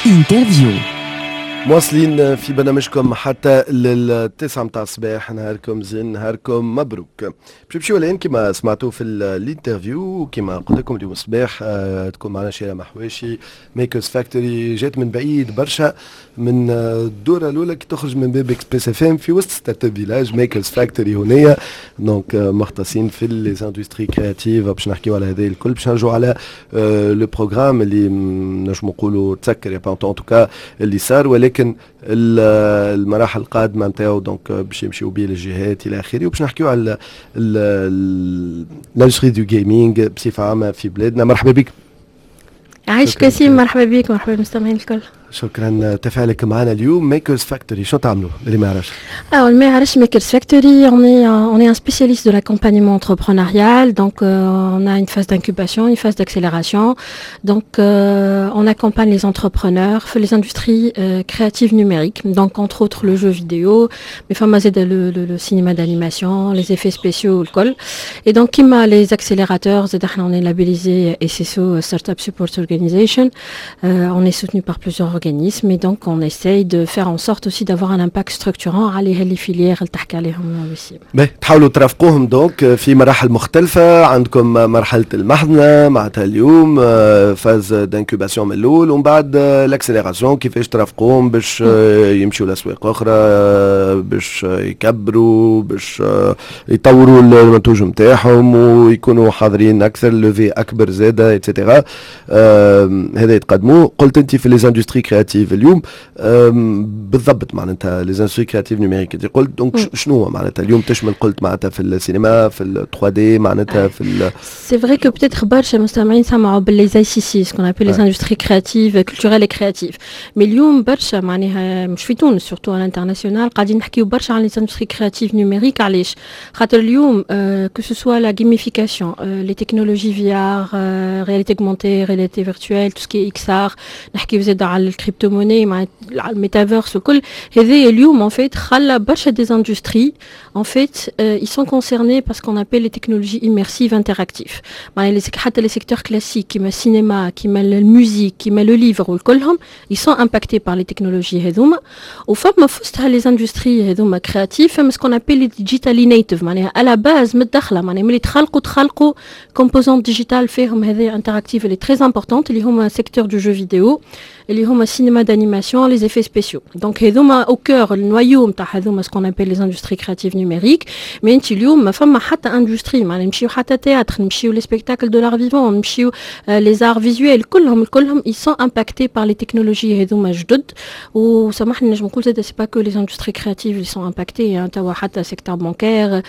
interview. مواصلين في برنامجكم حتى لل9 متاع الصباح. نهاركم زين، نهاركم مبروك. باش نمشيو الان كما سمعتوا في ال interview، كما قلت لكم اليوم الصباح تكون معنا شيرة محواشي، Makers Factory. جات من بعيد برشا، من الدورة الاولى كي تخرج من باب Express FM في وسط Startup Village، Makers Factory هنايا. donc مختصين في les industries créatives. باش نحكيو على هذا الكل، باش نرجعوا على le programme اللي نجمو نقولوا تسكر en tout cas اللي صار، ولكن المراحل القادمة نتاعو donc باش يمشيو بيه للجهات الى اخره، وباش نحكيو على l'industrie du gaming بصفة عامة في بلادنا. مرحبا بك. عايشك ياسين، مرحبا بك، مرحبا بالمستمعين الكل. شكرا تفاعلك معنا اليوم. Makers Factory، شو تعملوا اللي ما يعرفش؟ Alors, ما يعرفش Makers Factory, on est un spécialiste de l'accompagnement entrepreneurial. Donc, on a une phase d'incubation, une phase d'accélération. Donc, on accompagne les entrepreneurs في les industries créatives numériques. Donc, entre autres, le jeu vidéo, mais فما زادة le cinéma d'animation, les effets spéciaux, الكل. Et donc, كيما les accélérateurs, زادة احنا on est labellisé SSO, Startup Support Organization. On est soutenu par plusieurs organismes et donc on essaye de faire en sorte aussi d'avoir un impact structurant على les filières اللي تحكي عليهم وسيم. باهي، تحاولوا ترافقوهم donc في مراحل مختلفة. عندكم مرحلة المحضنة معناتها اليوم phase d'incubation من الأول، ومن بعد l'accélération، كيفاش ترافقوهم باش يمشوا لأسواق أخرى، باش يكبروا، باش يطوروا المنتوج نتاعهم ويكونوا حاضرين أكثر، levée أكبر زادة et cetera. هذا يتقدموه قلت أنت في les industries créatives اليوم بالضبط، معناتها les industries créatives numériques انت قلت. donc شنو هو معناتها اليوم تشمل؟ قلت معناتها في السينما، في ال 3D، معناتها في C'est vrai que peut-être برشا مستمعين سمعوا بال les ICC, ce qu'on appelle les industries créatives, culturelles et créatives. Mais اليوم برشا معناها مش في تونس، surtout à l'international قاعدين نحكيو برشا على les industries créatives numériques. علاش؟ خاطر اليوم que ce soit la gamification, les technologies VR, réalité augmentée, réalité virtuelle, tout ce qui est XR، نحكيو زاد على ال crypto-monnaie مع الميتافيرس وكل هذا، اليوم en fait خلى برشا des industries en fait ils sont concernés par ce qu'on appelle les technologies immersives interactives. معناها حتى les secteurs classiques كيما السينما، كيما ال musique، كيما le livre وكلهم ils sont impactés par les technologies هذوما. وفما في وسطها les industries هذوما créatives، فما ce qu'on appelle les digitally native، معناها à la base متدخله، معناها ملي تخلقوا تخلقوا composante digitale فيهم هذه interactive اللي très importante، اللي هما secteur du jeu vidéo، اللي هما cinéma d'animation, les effets spéciaux. Donc هذوما au cœur، ال noyau نتاع هذوما ce qu'on appelle les industries créatives numériques. mais انت اليوم ما فما حتى industrie، معناها نمشيو حتى théâtre، نمشيو les spectacles de l'art vivant، نمشيو les arts visuels، كلهم كلهم ils sont impactés par les technologies هذوما جدد. وسامحني نجم نقول زاد c'est pas que les industries créatives ils sont impactés، توا حتى secteur bancaire,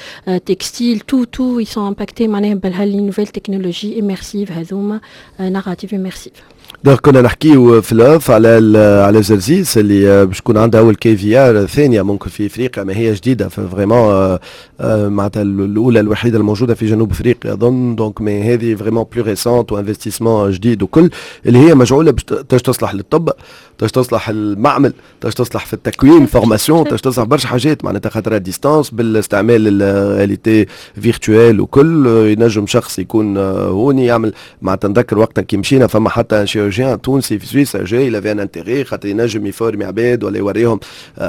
textile, tout tout ils sont impactés معناها بهال les nouvelles technologies immersives هذوما، narratives immersives. donc كنا نحكيو في ال off على جرجيس اللي باش تكون عندها اول quai VR ثانية ممكن في افريقيا، ما هي جديدة vraiment، معناتها الاولى الوحيدة الموجودة في جنوب افريقيا اظن. donc mais هذه vraiment plus récente و investissement جديد وكل، اللي هي مجعوله باش تصلح للطب، باش تصلح المعمل، باش تصلح في التكوين formation، باش تصلح برشا حاجات، معناتها خاطر à distance بالاستعمال ال réalité virtuelle وكل، ينجم شخص يكون هوني يعمل. معناتها نذكر وقتها كي مشينا فما حتى chirurgien تونسي في سويسرا جاي، il avait un intérêt خاطر ينجم يفورمي عباد ولا يوريهم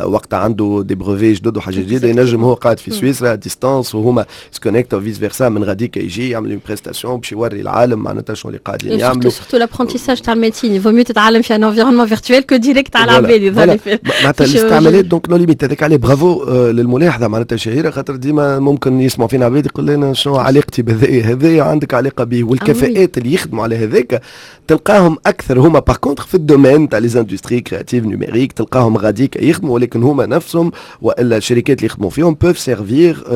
وقت عنده des brevets جدد وحاجات جديده، ينجم هو قاعد في سويسرا à distance وهما se connectent vice versa، من غاديك يجي يعمل une prestation باش يوري العالم معناتها شنو اللي قاعدين يعملوا. surtout l'apprentissage تاع ال médecine، il vaut mieux تتعلم في un environnement virtuel que direct على العباد. معناتها الاستعمالات donc no limite. هذاك عليه برافو للملاحظه معناتها شهيره، خاطر ديما ممكن يسمعوا فينا عباد يقول لنا شنو علاقتي بهذا؟ هذايا عندك علاقة به، والكفاءات اللي يخدموا على هذاك تلقاهم اكثر هما par contre في ال domaine تاع les industries créatives numériques، تلقاهم غاديك يخدموا، ولكن هما نفسهم والا الشركات اللي يخدموا فيهم peuvent servir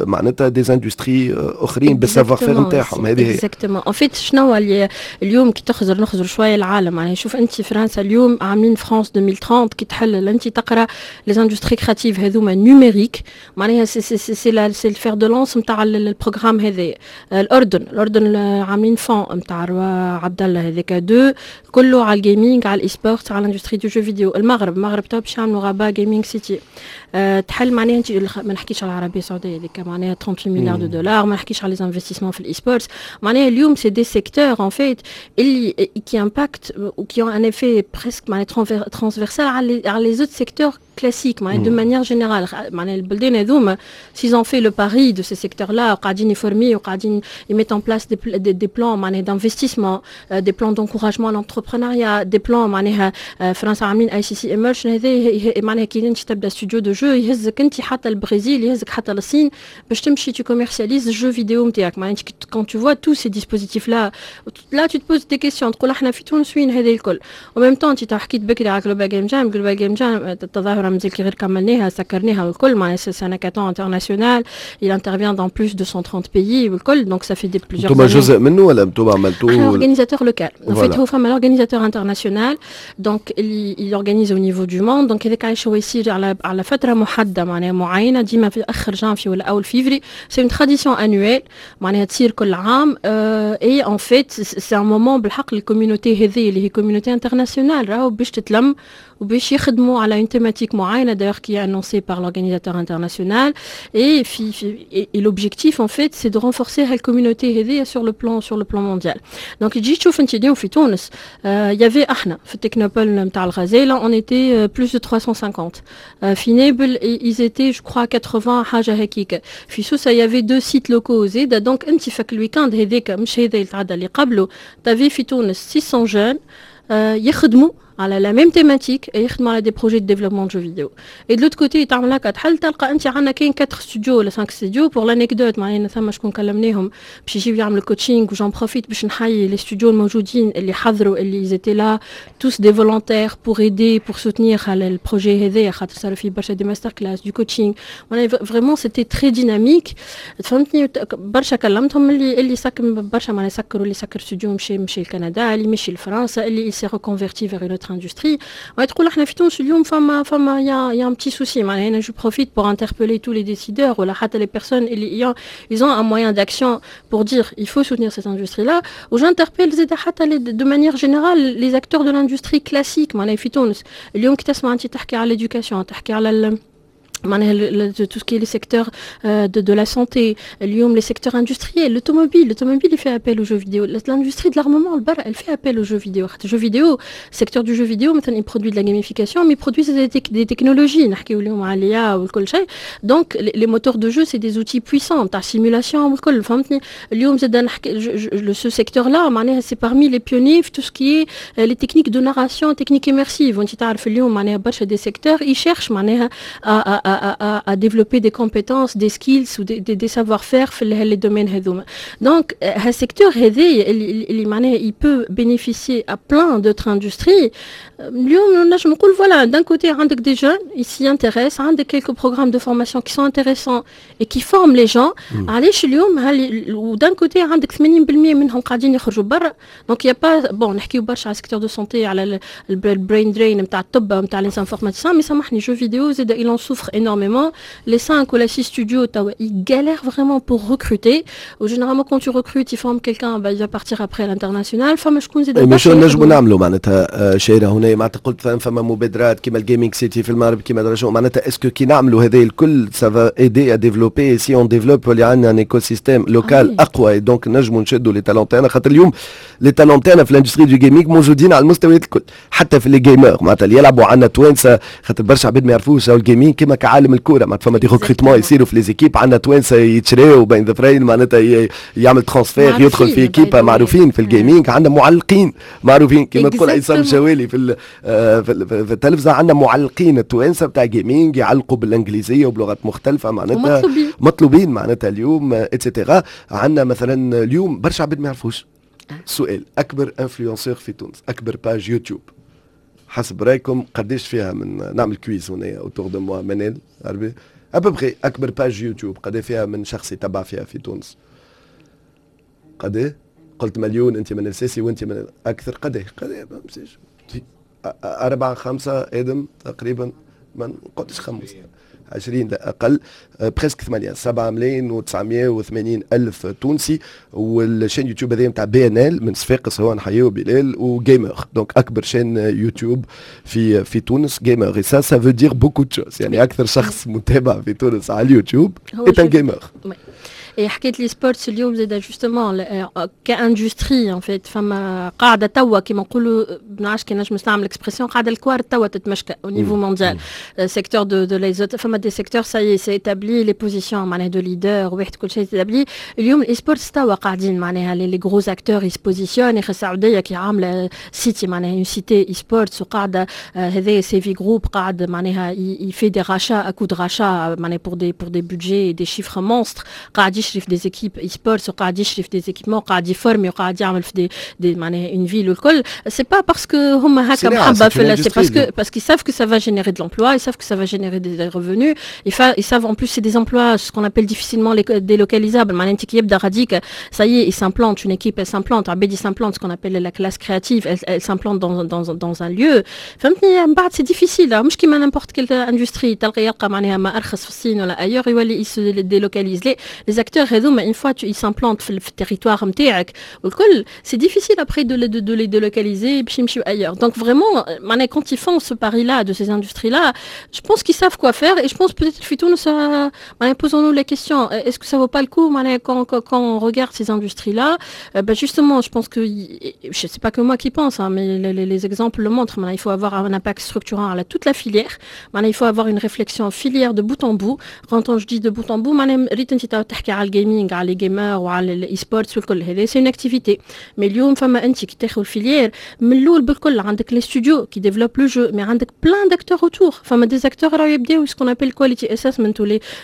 معناتها des industries اخرين بال savoir-faire نتاعهم. هذه هي exactement. en fait شنو اللي اليوم كي تخزر نخزر شوية العالم، يعني شوف انت فرنسا اليوم عاملين فرانس 2030، كي تحل انت تقرا les industries créatives هذوما numériques، معناها c'est le fer de lance نتاع ال programme هذا. الاردن عاملين fonds نتاع عبد الله هذاك deux 2022 كله على ال gaming، على ال e-sport، على l'industrie du jeu vidéo. المغرب تو باش يعملوا Rabat Gaming City. تحل معناها انت ما نحكيش على العربية السعودية هذيك معناها 38 milliards de dollars، ما نحكيش على les investissements في ال e-sports. معناها اليوم c'est des secteurs en fait اللي qui impactent ou qui ont un effet presque معناها transversal على les autres secteurs classiques معناها de manière générale. معناها البلدان هذوما s'ils ont fait le pari de ces secteurs-là، وقاعدين يفورمي وقاعدين ils mettent en place des plans معناها d'investissement، des plans d'encouragement à l'entrepreneuriat، des plans معناها فرنسا عاملين ICC Emerge. هذا معناها كي انت تبدا studio de jeu يهزك انت حتى البرازيل، يهزك حتى للصين باش تمشي tu commercialises ال jeu vidéo نتاعك. معناها quand tu vois tous ces dispositifs là là tu te poses des questions، تقول احنا في تونس وين هذا الكل؟ و même temps انت حكيت بكري على Global Game Jam. Global Game Jam التظاهرة مازال كي غير كملناها، سكرناها والكل. معناها c'est un hackathon international، il intervient dans plus de 130 pays والكل، donc ça fait des plusieurs انتم جزء منه ولا انتم عملتوه؟ organisateur local en fait. هو فما l'organisateur international، donc اللي il organise au niveau du monde. donc هذاك علاش هو يصير على فترة محدده، معناها معينه، ديما في اخر جانفي ولا اول فيفري. c'est une tradition annuelle، معناها تصير كل عام، et en fait c'est un moment بالحق ال communauté هذه اللي هي communauté internationale راهو باش تتلم وباش يخدموا على une thématique معينة d'ailleurs qui est annoncée par l'organisateur international. Et l'objectif en fait c'est de renforcer la communauté هذه sur le plan mondial. donc تجي تشوف انت اليوم في تونس il y avait احنا في ال technopole نتاع الغزالة on était plus de 350، في نابل ils étaient je crois 80 حاجة هكيك، في سوسة il y avait deux sites locaux زيد. donc انت فك ال week-end هذاك، مش هذا اللي تعدى، اللي قبله، t'avais في تونس 600 jeunes يخدموا على la même thématique، يخدموا على des projets de développement de jeux vidéo. et de l'autre côté تعمل هكا تحل تلقى انت عندنا كاين 4 studios ولا 5 studios. pour l'anecdote معناها ثم شكون كلمناهم باش يجيو يعملوا coaching، و j'en profite باش نحيي les studios الموجودين اللي حضروا، اللي ils étaient là tous des volontaires pour aider، pour soutenir على ال projet هذايا، خاطر صاروا فيه برشا des masterclass، du coaching، معناها vraiment c'était très dynamique، فهمتني؟ برشا كلمتهم اللي سكر برشا معناها سكروا، اللي سكر استوديو مشي لكندا، اللي مشي لفرنسا، اللي s'est reconverti vers une autre industrie. تقول احنا في تونس اليوم فما y a un petit souci. معناها انا je profite pour interpeller tous les décideurs ولا حتى les personnes اللي ils ont un moyen d'action pour dire il faut soutenir cette industrie là، و j'interpelle زاد حتى de manière générale les acteurs de l'industrie classique. معناها في تونس اليوم كي تسمع انت تحكي على l'éducation، تحكي على معناها tout ce qui est les secteurs de la santé، اليوم les secteurs industriels، l'automobile il fait appel aux jeux vidéo، l'industrie de l'armement البرا elle fait appel aux jeux vidéo. خاطر jeux vidéo، secteur du jeu vidéo مثلا il produit de la gamification mais il produit des technologies، نحكيو اليوم على l'IA والكل شيء. donc les moteurs de jeu c'est des outils puissants تاع simulation والكل، فهمتني؟ اليوم زاد نحكي ce secteur là معناها c'est parmi les pionniers في tout ce qui est les techniques de narration، techniques immersives. وانت تعرف اليوم معناها برشا des secteurs ils cherchent معناها à développer des compétences، des skills ou des savoir-faire في les domaines هذوما. donc هال secteur هذا اللي معناها il peut bénéficier à plein d'autres industries. اليوم نجم نقول voilà، d'un côté عندك des jeunes ils s'y intéressent، عندك quelques programmes de formation qui sont intéressants et qui forment les gens. علاش اليوم و d'un côté عندك 80% منهم قاعدين يخرجوا برا؟ donc y a pas bon نحكيو برشا على secteur de santé، على ال brain drain نتاع الطب، نتاع les informaticiens، mais سامحني jeux vidéo زاد il en souffre énormément. Les 5 ou 6 studios, ils galèrent vraiment pour recruter. و généralement, quand tu recrutes, ils forment quelqu'un, bah, il va partir après à l'international. فما شكون زاد مش نجموا نعملوا معناتها شيرة هنا؟ معناتها قلت فما مبادرات كيما ال Gaming City في المغرب، كيما درجو، معناتها est-ce que كي نعملوا هذا الكل ça va aider à développer؟ si on développe اللي عندنا un écosystème local اقوى، donc نجموا نشدوا les talents تاعنا، خاطر اليوم les talents تاعنا في l'industrie du gaming موجودين على المستويات الكل، حتى في les gamers معناتها اللي يلعبوا عندنا توانسه، خاطر برشا عباد ما يعرفوش ال gaming كيما كعالم الكوره، معناتها فما des recrutements يصيروا في les équipes، عندنا توانسة يتشراو بين ظفرين، معناتها يعمل transfert يدخل في équipe، معروفين في ال gaming. عندنا معلقين معروفين كيما تقول عصام شوالي في التلفزه، عندنا معلقين التوانسة بتاع gaming يعلقوا بالانجليزية وبلغات مختلفه، معناتها مطلوبين، مطلوبين معناتها اليوم et cetera. عندنا مثلا اليوم برشا عباد ما يعرفوش، سؤال: اكبر influenceur في تونس، اكبر page YouTube، حسب رايكم قداش فيها من نعمل quiz هنا autour de moi، منال عربي، à peu près اكبر page YouTube قد فيها من شخص يتبع فيها في تونس؟ قد قلت مليون انت من السيسي وانت من اكثر، قد قد أربعة خمسة ادم تقريبا، ما نقعدش خمسة. 20 لا اقل، presque 8 7 ملايين و980 الف تونسي. وال chaîne YouTube هذه نتاع BNL من صفاقس، هو نحييه بلال و gamer، donc اكبر chaîne YouTube في تونس gamer، et ça veut dire beaucoup de choses، يعني اكثر شخص متابع في تونس على اليوتيوب est un gamer. Et حكيت l'e-sports اليوم زاد justement ك industrie en fait فما قاعدة توا كيما نقولوا، ما نعرفش كي نجم نستعمل l'expression، قاعدة الكوارت توا تتمشكى au niveau mondial، secteur de les فما des secteurs ça y est c'est établi، les positions معناها de leader واحد كل شيء établi. اليوم ال e-sports توا قاعدين معناها les gros acteurs ils se positionnent. السعودية كي عامله cité معناها une cité e-sports، وقاعدة هذا CV Group قاعد معناها il fait des rachats à coups de rachats معناها pour des budgets، des chiffres monstres، قاعد يشري في des équipes e-sports وقاعد يشري في des équipements، قاعد يفورمي وقاعد يعمل في des معناها une ville والكل. c'est pas parce que هما هكا محبة في، c'est parce qu'ils savent que ça va générer de l'emploi، ils savent que ça va générer des revenus، ils savent en plus c'est des emplois ce qu'on appelle difficilement délocalisables. معناها انت كي يبدا غاديك ça y est، il s'implante، une équipe elle s'implante، عباد s'implante، ce qu'on appelle la classe créative، elle s'implante dans un lieu، فهمتني؟ من بعد c'est difficile، مش كيما n'importe quelle industrie تلقى يلقى معناها ما ارخص في الصين ولا ailleurs يولي il se délocalise. les acteurs هذوما une fois ils s'implantent في ال territoire نتاعك والكل، c'est difficile après de les délocaliser باش يمشيو ailleurs. donc vraiment معناها quand ils font ce pari là de ces industries là، je pense qu'ils savent quoi faire. et je pense peut-être في تونس معناها posons-nous la question، est-ce que ça vaut pas le coup معناها quand on regarde ces industries là؟ ben justement je pense que je sais pas que moi qui pense hein، mais les exemples le montrent. معناها il faut avoir un impact structurant على toute la filière، معناها il faut avoir une réflexion filière de bout en bout. quand je dis de bout en bout، معناها ريت انت تحكي على ال gaming، على les gamers وعلى ال e-sports والكل، هذا c'est une activité، mais اليوم فما انت كي تاخذ ال filière من الاول بالكل، عندك les studios qui développent le jeu، mais عندك plein d'acteurs autour. فما des acteurs راهو يبداو ce qu'on appelle quality assessment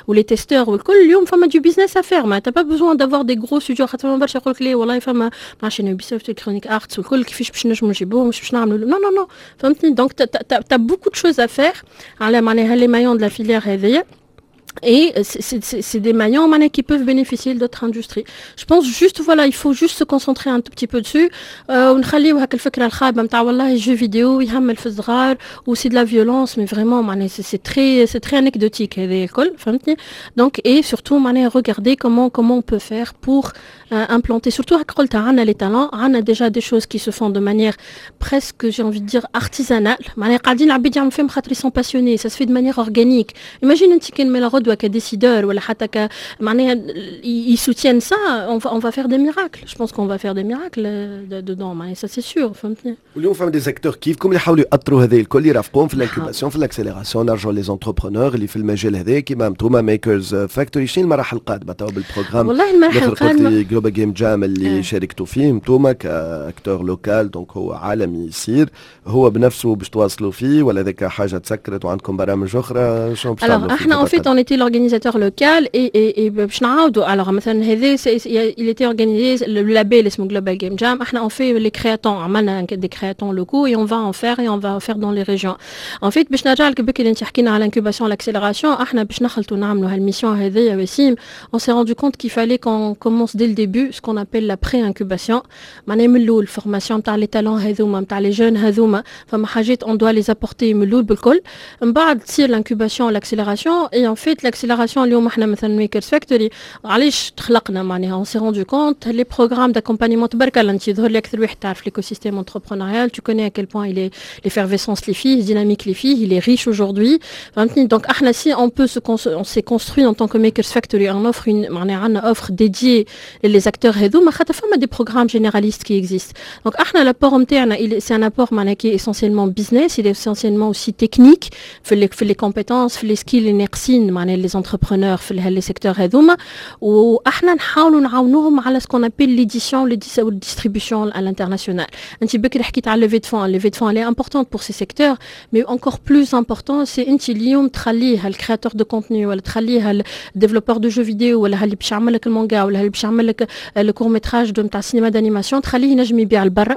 و les testeurs والكل. اليوم فما du business à faire، ما t'as pas besoin d'avoir des gros studios، خاطر فما برشا يقول لك ليه والله فما ما عرفتش Ubisoft، Electronic Arts والكل، كيفاش باش نجموا نجيبوهم، مش باش نعملوا؟ non non non، فهمتني؟ donc t'as beaucoup de choses à faire على معناها les maillons de la filière هذيا، et c'est des maillons qui peuvent bénéficier d'autres industries. Je pense juste، voilà، il faut juste se concentrer un tout petit peu dessus. ونخليو هاك الفكرة الخايبة نتاع والله jeux vidéo يهمل في الصغار و c'est de la violence، mais vraiment معناها c'est très anecdotique هذا الكل، فهمتني؟ donc et surtout معناها regarder comment on peut faire pour implanter، surtout هاك قلت عندنا les talents، عندنا déjà des choses qui se font de manière presque، j'ai envie de dire، artisanale. معناها قاعدين العباد يعملوا فيهم خاطر ils sont passionnés، ça se fait de manière organique. imagine انت كان من غدوه ك décideur ولا حتى ك معناها ils soutiennent ça، on va faire des miracles. je pense qu'on va faire des miracles dedans، معناها ça c'est sûr، فهمتني؟ واليوم فما des acteurs كيفكم اللي يحاولوا يأطروا هذه الكل، يرافقوهم في l'incubation، في l'accélération. نرجعوا les entrepreneurs اللي في المجال هذا كيما انتوما Makers Factory، شنو المراحل القادمة تو بال programme؟ والله المراحل القادمة Global Game Jam اللي شاركتوا فيه انتوما ك acteur local، donc هو عالمي يصير، هو بنفسه باش تواصلوا فيه ولا ذاك حاجة تسكرت وعندكم برامج اخرى؟ شنو باش تعملوا؟ احنا en fait on était l'organisateur local et باش نعاودوا. alors مثلا هذا il était organisé، le label اسمه Global Game Jam. احنا on fait les créatons، عملنا des créatons locaux et on va en faire et on va en faire dans les régions. en fait باش نرجع لك بكري انت حكينا على l'incubation، l'accélération، احنا باش نخلطوا نعملوا هال mission هذيا وسيم، on s'est rendu compte qu'il fallait qu'on commence dès le début ce qu'on appelle la pré-incubation، معناها من الاول formation تاع les talents هذوما، نتاع les jeunes هذوما. فما حاجات on doit les apporter من الاول بالكل، من بعد تصير l'incubation، l'accélération. et en fait l'accélération اليوم احنا مثلا Makers Factory علاش تخلقنا؟ معناها on s'est rendu compte les programmes d'accompagnement، تبارك الله انت يظهر لي اكثر واحد تعرف l'écosystème entrepreneurial، tu connais à quel point il est l'effervescence اللي فيه، dynamique اللي فيه، il est riche aujourd'hui، فهمتني؟ donc احنا si on peut se on s'est construit en tant que Makers Factory، on offre une معناها عندنا offre dédiée les acteurs هذوما، خاطر فما des programmes généralistes qui existent. donc احنا l'apport نتاعنا c'est un apport معناها qui est essentiellement business، il est essentiellement aussi technique في les compétences، في les skills اللي ناقصين معناها les entrepreneurs في les secteurs هذوما. واحنا نحاولوا نعاونوهم على ce qu'on appelle l'édition وال distribution à l'international. انت بكري حكيت على levée de fonds، levée de fonds elle est importante pour ces secteurs، mais encore plus important c'est انت اليوم تخليه ال créateur de contenu ولا تخليه ال développeur de jeux vidéo ولا اللي باش يعمل لك المانجا ولا اللي باش يعمل لك le court métrage de نتاع cinéma d'animation، تخليه ينجم يبيع لبرا،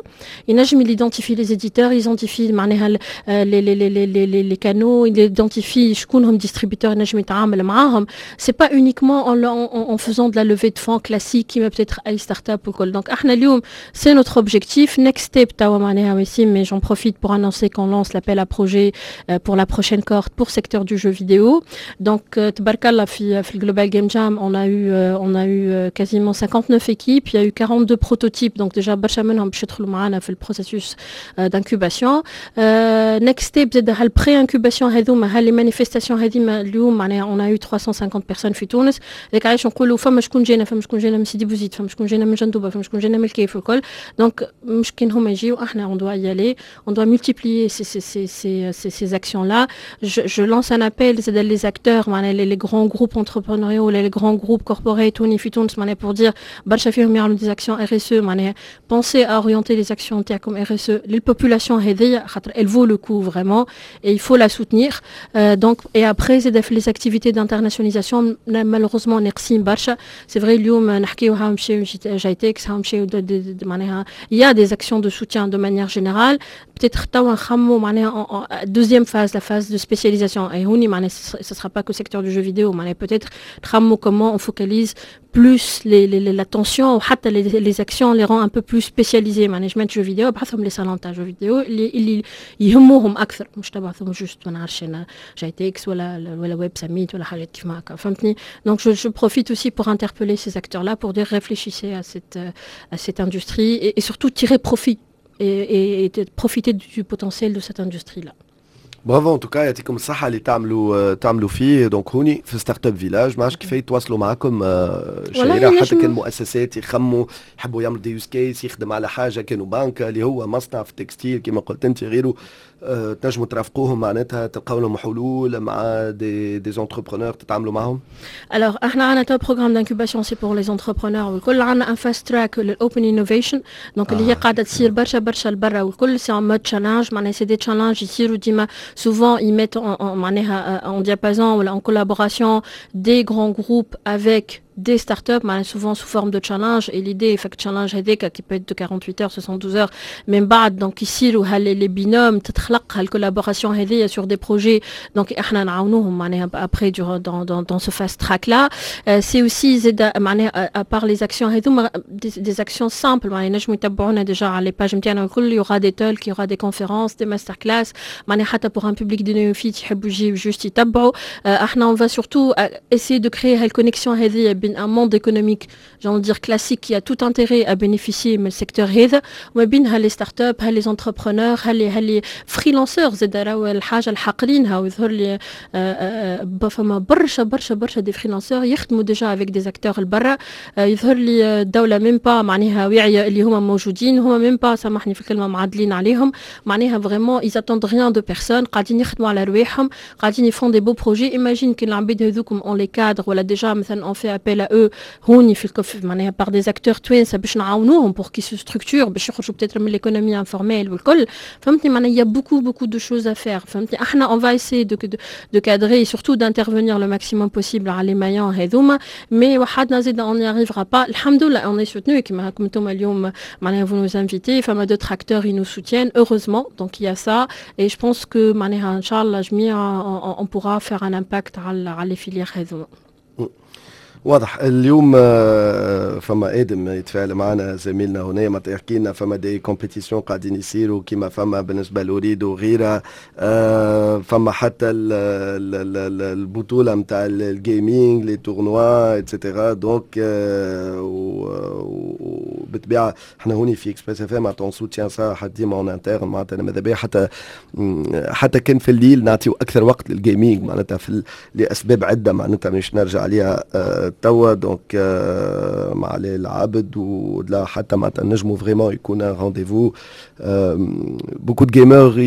ينجم identifie les éditeurs، identifie معناها les canaux، identifie شكون هم distributeurs ينجم يتعامل. نتعامل معاهم، c'est pas uniquement en faisant de la levée de fonds classique كيما peut-être اي startup وكل. donc احنا اليوم c'est notre objectif next step توا معناها وسيم، mais j'en profite pour annoncer qu'on lance l'appel à projet pour la prochaine cohorte pour secteur du jeu vidéo. Donc تبارك الله في ال Global Game Jam on a eu quasiment 59 équipes، il y a eu 42 prototypes، donc déjà برشا منهم باش يدخلوا معنا في ال processus d'incubation. next step زاد هال pré-incubation هذوما، هال les manifestations هذيما. اليوم معناها on a eu 350 personnes في تونس. هذاك علاش نقولوا فما شكون جانا، فما شكون جانا من سيدي بوزيد، فما شكون جانا من جندوبه، فما شكون جانا من الكيف والكل. donc مش كان هما يجيو، احنا on doit y aller، on doit multiplier ces actions-là. Je lance un appel زاد les acteurs معناها les grands groupes entrepreneuriaux ولا les grands groupes corporate هوني في تونس، معناها pour dire برشا فيهم يعملوا des actions RSE، معناها pensez à orienter les actions نتاعكم RSE لل population هذيا، خاطر elle vaut le coup vraiment et il faut la soutenir. Donc et après زاد في les activités d'internationalisation malheureusement ناقصين برشا. c'est vrai اليوم نحكيو ها مشاو GITEX، ها مشاو، معناها il y a des actions de soutien de manière générale. peut-être توا نخمو معناها deuxième phase، la phase de spécialisation، et هوني معناها ce sera pas qu'au secteur du jeu vidéo، معناها peut-être نخمو comment on focalise plus l'attention وحتى les actions، les rend un peu plus spécialisées. management jeux vidéo بعثهم les salons تاع jeux vidéo اللي يهموهم اكثر، مش تبعثهم juste ما نعرفش انا GITEX ولا Web Summit ولا حاجات كيف ما هكا، فهمتني؟ donc je profite aussi pour interpeller ces acteurs là pour dire réfléchissez à cette industrie et surtout tirer profit et profiter du potentiel de cette industrie là. bravo en tout cas، يعطيكم الصحة اللي تعملوا فيه. donc هوني في Startup Village ما عرفتش كيف يتواصلوا معكم شهيرة، حتى كان مؤسسات يخموا يحبوا يعملوا des use cases، يخدم على حاجة، كانوا بنك اللي هو مصنع في ال textile كما قلت انت غيره، تنجموا ترافقوهم، معناتها تلقاو لهم حلول مع des entrepreneurs تتعاملوا معهم؟ Alors احنا عندنا تو programme d'incubation، c'est pour les entrepreneurs والكل. عندنا un fast track لل open innovation، donc اللي هي قاعدة تصير برشا برشا لبرا والكل، c'est en mode challenge، معناها c'est des challenges يصيروا ديما. souvent ils mettent en, en diapason ou en collaboration des grands groupes avec des startups، souvent sous forme de challenge. et l'idée fait que challenge هذاك qui peut être de 48 heures، 72 heures، من بعد donc يصيروا les binômes، تتخلق هال collaboration هذه sur des projets. donc احنا نعاونوهم معناها après dans ce fast track là. c'est aussi زاد معناها à part les actions هذوما des actions simples، معناها ينجموا يتبعونا déjà على les pages نتاعنا الكل. il y aura des talks، il y aura des conférences، des master class، معناها حتى pour un public de néophytes يحبوا يجيو juste يتبعوا. احنا on va surtout essayer de créer هال connexion هذه بين un monde économique، j'ai envie de dire classique، qui a tout intérêt à bénéficier من ال secteur هذا، وما بين les startups، les entrepreneurs، les freelancers زاد. راهو الحاجة الحاقرينها، ويظهر لي فما برشا برشا برشا des freelancers يخدموا déjà avec des acteurs البرا. يظهر لي الدولة même pas معناها واعية اللي هما موجودين، هما même pas، سامحني في الكلمه، معدلين عليهم. معناها vraiment ils attendent rien de personne، قاعدين يخدموا على رواحهم، قاعدين ils font des beaux projets. imagine كان العباد هذوكم on les cadre ولا déjà مثلا on fait appel à eux هوني في الكف، معناها par des acteurs توانسه، باش نعاونوهم pour qu'ils se structurent، باش يخرجوا peut-être من l'économie informelle والكل، فهمتني؟ معناها il y a beaucoup beaucoup de choses à faire، فهمتني؟ احنا on va essayer de cadrer et surtout d'intervenir le maximum possible على les maillons هذوما، mais وحدنا زيد on n'y arrivera pas. الحمد لله on est soutenu كيما هاكم انتم اليوم معناها vous nous invitez، فما d'autres acteurs، ils nous soutiennent heureusement. donc il y a ça et je pense que معناها ان شاء الله جميع on pourra faire un impact على les filières هذوما. واضح. اليوم فما ادم يتفاعل معنا، زميلنا هنا، ما يحكي لنا فما des compétitions قاعدين يصيروا كيما فما بالنسبة ل Ooredoo وغيرها، فما حتى البطولة نتاع ال gaming، les tournois et cetera. donc وبالطبيعه احنا هوني في Express FM on soutient ça حتى ديما en interne، معناتها ماذا بيا حتى كان في الليل نعطيو اكثر وقت لل gaming، معناتها في لاسباب عده، معناتها مش نرجع عليها توا. donc مع علي العابد ولا حتى معناتها نجموا vraiment يكون rendez-vous، beaucoup de gamers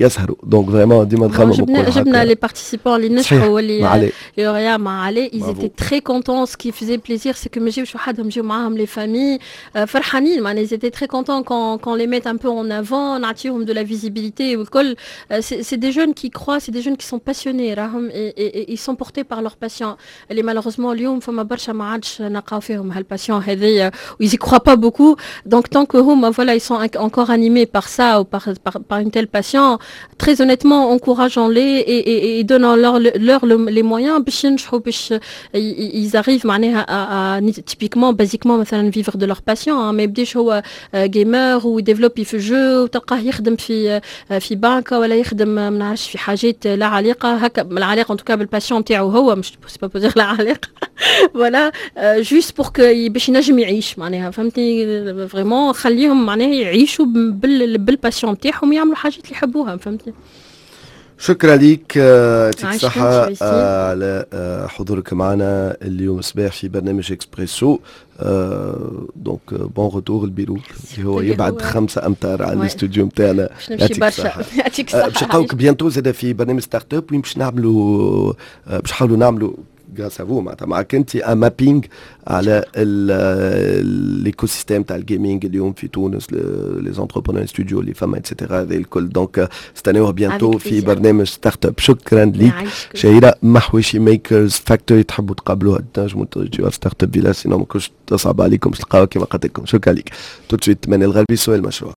يسهروا، donc vraiment ديما نخمم. جبنا les participants اللي نجحوا واللي lauréats مع علي، ils étaient très contents. ce qui faisait plaisir c'est que ما جاوش وحدهم، جاو معاهم les familles. فرحانين، معناها ils étaient très contents qu'on les mette un peu en avant، نعطيهم de la visibilité والكل. c'est des jeunes qui croient، c'est des jeunes qui sont passionnés راهم et ils sont portés par leur passion، اللي malheureusement اليوم فما برشا ما عادش نلقاو فيهم هال passion هذيا و ils y croient pas beaucoup. donc tant que هما voilà، ils sont encore animés par ça ou par une telle passion، très honnêtement encourageons-les et donnons-leur leur les moyens باش ينجحوا، باش ils arrivent معناها à typiquement، basiquement مثلا vivre de leur passion. ما يبداش هو gamer وي développer في jeu وتلقاه يخدم في بنك ولا يخدم ما نعرفش في حاجات لا علاقة هكا لا علاقة en tout cas بال passion تاعو هو، مش c'est pas pour dire لا علاقه، voilà، juste pour que باش ينجم يعيش معناها، فهمتني؟ vraiment خليهم معناها يعيشوا بال passion تاعهم ويعملوا حاجات اللي يحبوها، فهمتني؟ شكرا لك، يعطيك الصحة على حضورك معنا اليوم الصباح في برنامج اكسبريسو. donc bon retour ال bureau اللي هو يبعد 5 امتار على الاستوديو نتاعنا. يعطيك برشا، يعطيك الصحة. باش نلقاوك bientôt زاد في برنامج startup، وين باش نحاولوا نعملوا grâce à vous، معناتها معك انت، un mapping على l'écosystème تاع ال gaming اليوم في تونس، les entrepreneurs، studios اللي فما et cetera، هذا الكل. donc استناوه bientôt في برنامج startup. شكرا ليك شهيرة محوشي، Makers Factory. تحبوا تقابلوها تنجموا تجيوها في Startup Village، sinon ما كنتش تصعب عليكم باش تلقاوها كما قلت لكم. شكرا لك. tout de suite من الغربي سؤال مشروع.